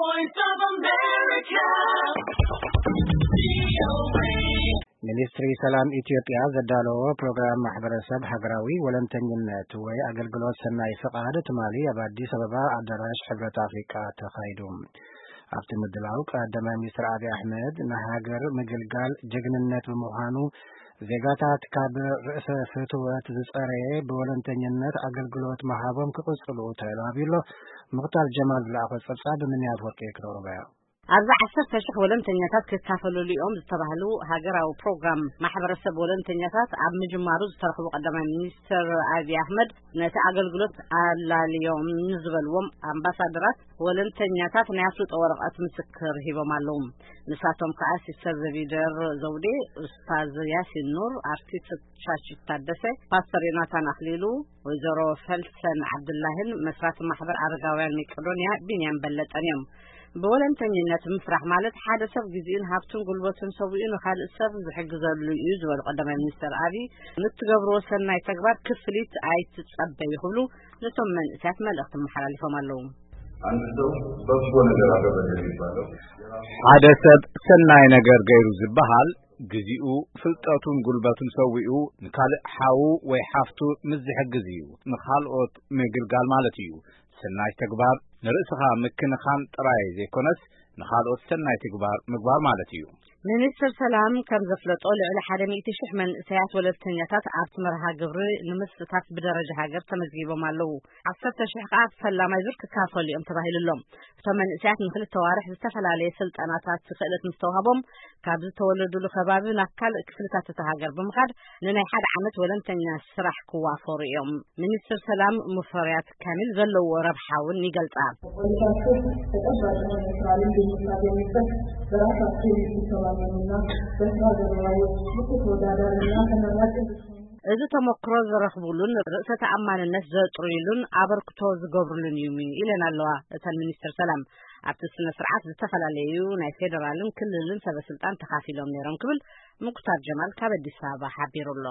Voice of America. ሚኒስትሪ ሰላም ኢትዮጵያ ዘዳለዎ ፕሮግራም ማሕበረሰብ ሃገራዊ ወለንተኝነት ወይ ኣገልግሎት ሰናይ ፍቓድ ትማሊ ኣብ ኣዲስ ኣበባ ኣዳራሽ ሕብረት ኣፍሪቃ ተኻይዱ። ኣብቲ ምድላው ቀዳማይ ሚኒስትር ኣብይ ኣሕመድ ንሃገር ምግልጋል ጅግንነት ብምዃኑ ዜጋታት ካብ ርእሰ ፍትወት ዝጸረየ ብወለንተኝነት ኣገልግሎት ምሃቦም ክቕጽሉ ተላብዩ ኣሎ። ምኽታር ጀማል ዝለኣኾ ጸብጻብ ብምንያት ወርቂ ክነቕርቦ እያ። ኣብዚ ዓሰርተ ሽሕ ወለንተኛታት ክካፈለሉ እዮም ዝተባህሉ ሃገራዊ ፕሮግራም ማሕበረሰብ ወለንተኛታት ኣብ ምጅማሩ ዝተረኽቡ ቀዳማይ ሚኒስትር ኣብይ ኣሕመድ ነቲ ኣገልግሎት ኣላልዮም ንዝበልዎም ኣምባሳደራት ወለንተኛታት ናይ ኣፍልጦ ወረቐት ምስክር ሂቦም ኣለዉ። ንሳቶም ከዓ ሲስተር ዘቢደር ዘውዴ፣ ኡስታዝ ያሲን ኑር፣ ኣርቲስት ሻሽት ታደሰ፣ ፓስተር ዮናታን ኣኽሊሉ፣ ወይዘሮ ፈልሰን ዓብዱላህን መስራቲ ማሕበር ኣረጋውያን መቄዶንያ ቢንያም በለጠን እዮም። ብወለንተኝነት ምስራሕ ማለት ሓደ ሰብ ግዜኡን ሃብቱን ጉልበቱን ሰዊኡ ንኻልእ ሰብ ዝሕግዘሉ እዩ ዝበሉ ቀዳማይ ሚኒስትር ኣብይ፣ ንትገብርዎ ሰናይ ተግባር ክፍሊት ኣይትጸበዩ ክብሉ ነቶም መንእሰያት መልእኽቲ መሓላሊፎም ኣለዉ። አንድ ሰው በጎ ነገር አደረገ የሚባለው ሓደ ሰብ ሰናይ ነገር ገይሩ ዝበሃል ግዚኡ፣ ፍልጠቱን ጉልበቱን ሰዊኡ ንካልእ ሓዉ ወይ ሓፍቱ ምስ ዝሕግዝ እዩ። ንኻልኦት ምግልጋል ማለት እዩ። ሰናይ ተግባር ንርእስኻ ምክንኻን ጥራይ ዘይኮነስ ንኻልኦት ሰናይ ተግባር ምግባር ማለት እዩ። ሚኒስትር ሰላም ከም ዘፍለጦ ልዕሊ ሓደ ሚእቲ ሽሕ መንእሰያት ወለልተኛታት ኣብቲ መርሃ ግብሪ ንምስታፍ ብደረጃ ሃገር ተመዝጊቦም ኣለዉ። ዓሰርተ ሽሕ ከዓ ፈላማይ ዙር ክካፈሉ እዮም ተባሂሉ ኣሎ። እቶም መንእሰያት ንክልተ ዋርሕ ዝተፈላለየ ስልጠናታት ክእለት ምስተዋህቦም ካብ ዝተወለዱሉ ከባቢ ናብ ካልእ ክፍልታት እታ ሃገር ብምኻድ ንናይ ሓደ ዓመት ወለንተኛ ስራሕ ክዋፈሩ እዮም። ሚኒስትር ሰላም ሙፈሪያት ካሚል ዘለዎ ረብሓ እውን ይገልጻ። ቆይታችሁ ተጨባጭ የሆነ የስራ ልምድ የምታገኙበት በራሳችሁ የምትተማመኑና በስራ ገበያው ብቁ ተወዳዳሪና ተመራጭ እንድትሆኑ እዚ ተመክሮ ዝረኽቡሉን ርእሰ ተኣማንነት ዘጥርዩሉን ኣበርክቶ ዝገብሩሉን እዩ ኢለን ኣለዋ እተን ሚኒስትር ሰላም። ኣብቲ ስነ ስርዓት ዝተፈላለዩ ናይ ፌደራልን ክልልን ሰበ ስልጣን ተኻፊሎም ነይሮም ክብል ምኩታር ጀማል ካብ ኣዲስ ኣበባ ሓቢሩ ኣሎ።